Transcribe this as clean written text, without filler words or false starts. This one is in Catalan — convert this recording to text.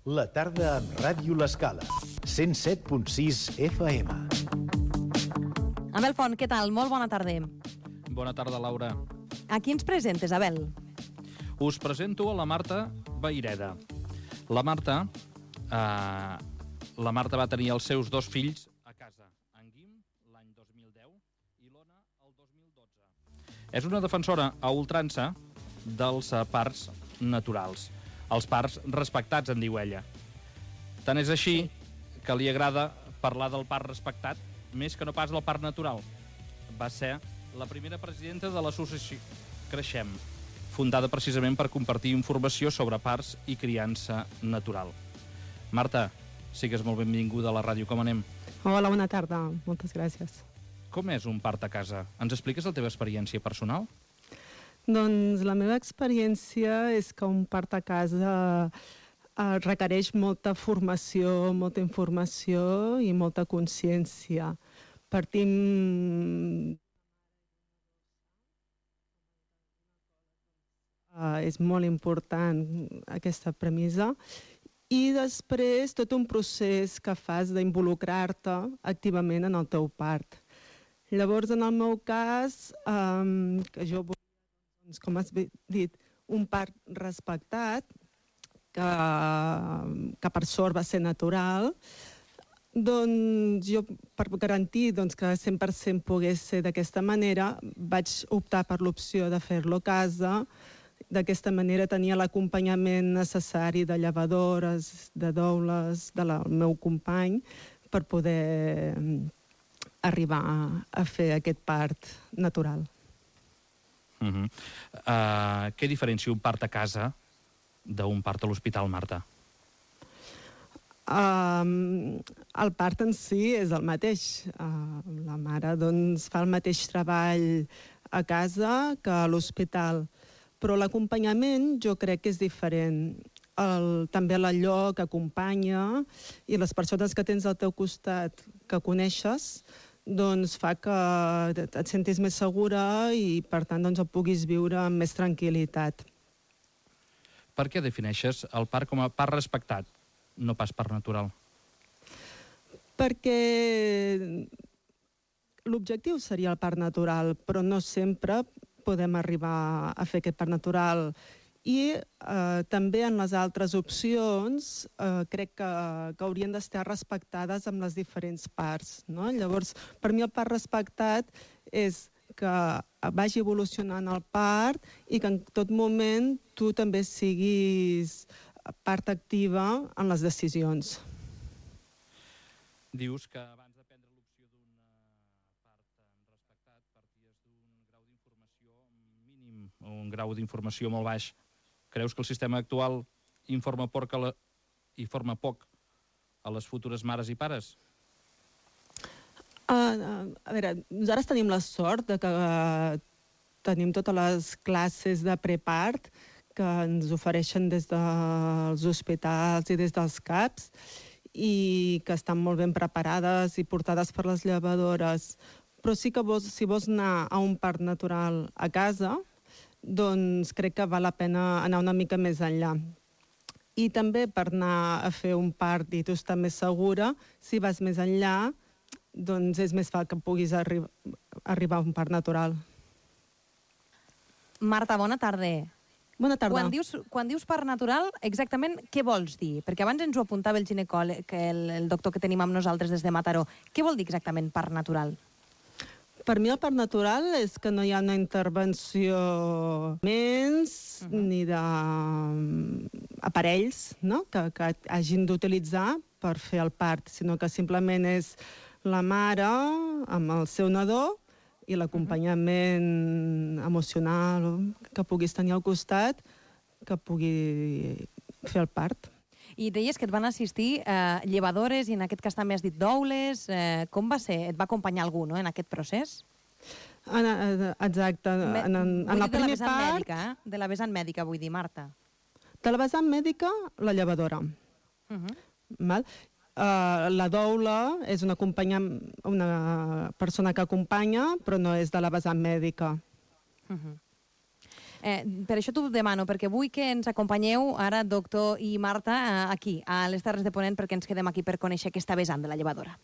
La tarda amb Ràdio L'Escala, 107.6 FM. Abel Font, què tal? Molt bona tarda. Bona tarda, Laura. A qui ens presentes, Abel? Us presento a la Marta Vayreda. La Marta va tenir els seus dos fills a casa, en Guim l'any 2010 i l'Ona el 2012. És una defensora a ultrança dels parcs naturals. Els parcs respectats, en diu ella. Tant és així que li agrada parlar del parc respectat més que no pas del parc natural. Va ser la primera presidenta de l'associació Creixem, fundada precisament per compartir informació sobre parcs i criança natural. Marta, sigues molt benvinguda a la ràdio. Com anem? Hola, bona tarda. Moltes gràcies. Com és un parc a casa? Ens expliques la teva experiència personal? Doncs la meva experiència és que un part a casa requereix molta formació, molta informació i molta consciència. Partim... és molt important aquesta premissa. I després tot un procés que fas d'involucrar-te activament en el teu part. Llavors, en el meu cas, que jo volia, doncs, com has dit, un parc respectat, que per sort va ser natural, doncs jo, per garantir que 100% pogués ser d'aquesta manera, vaig optar per l'opció de fer-lo a casa. D'aquesta manera tenia l'acompanyament necessari de llevadores, de doules, del meu company, per poder arribar a fer aquest part natural. Què diferencia un part a casa d'un part a l'hospital, Marta? El part en si és el mateix. La mare doncs, fa el mateix treball a casa que a l'hospital, però l'acompanyament jo crec que és diferent. També l'allò que acompanya i les persones que tens al teu costat que coneixes doncs fa que et sentis més segura i per tant doncs, el puguis viure amb més tranquil·litat. Per què defineixes el parc com a parc respectat, no pas parc natural? Perquè l'objectiu seria el parc natural, però no sempre podem arribar a fer aquest parc natural. I també en les altres opcions crec que haurien d'estar respectades amb les diferents parts, no? Llavors, per mi el parc respectat és que vagi evolucionant el parc i que en tot moment tu també siguis part activa en les decisions. Dius que abans de prendre l'opció d'un parc respectat parties d'un grau d'informació mínim o un grau d'informació molt baix. Creus que el sistema actual informa poc a les futures mares i pares? A veure, nosaltres tenim la sort de que tenim totes les classes de prepart que ens ofereixen des dels hospitals i des dels CAPs i que estan molt ben preparades i portades per les llevadores. Però sí que si vols anar a un parc natural a casa, doncs crec que val la pena anar una mica més enllà. I també per anar a fer un parc i tu estar més segura, si vas més enllà, doncs és més fàcil que puguis arribar a un parc natural. Marta, bona tarda. Bona tarda. Quan dius parc natural, exactament què vols dir? Perquè abans ens ho apuntava el ginecòleg, el doctor que tenim amb nosaltres des de Mataró. Què vol dir exactament parc natural? Per mi el parc natural és que no hi ha una intervenció ni d'aparells que hagin d'utilitzar per fer el part, sinó que simplement és la mare amb el seu nadó i l'acompanyament emocional que puguis tenir al costat que pugui fer el part. I deies que et van assistir llevadores i en aquest cas també has dit doules. Com va ser? Et va acompanyar algú, no?, en aquest procés? Exacte. En el primer part... Mèdica, de la vessant mèdica, vull dir, Marta. De la vessant mèdica, la llevadora. La doula és una persona que acompanya, però no és de la vessant mèdica. Per això t'ho demano, perquè vull que ens acompanyeu ara, doctor i Marta, aquí, a les Terres de Ponent, perquè ens quedem aquí per conèixer aquesta vessant de la llevadora.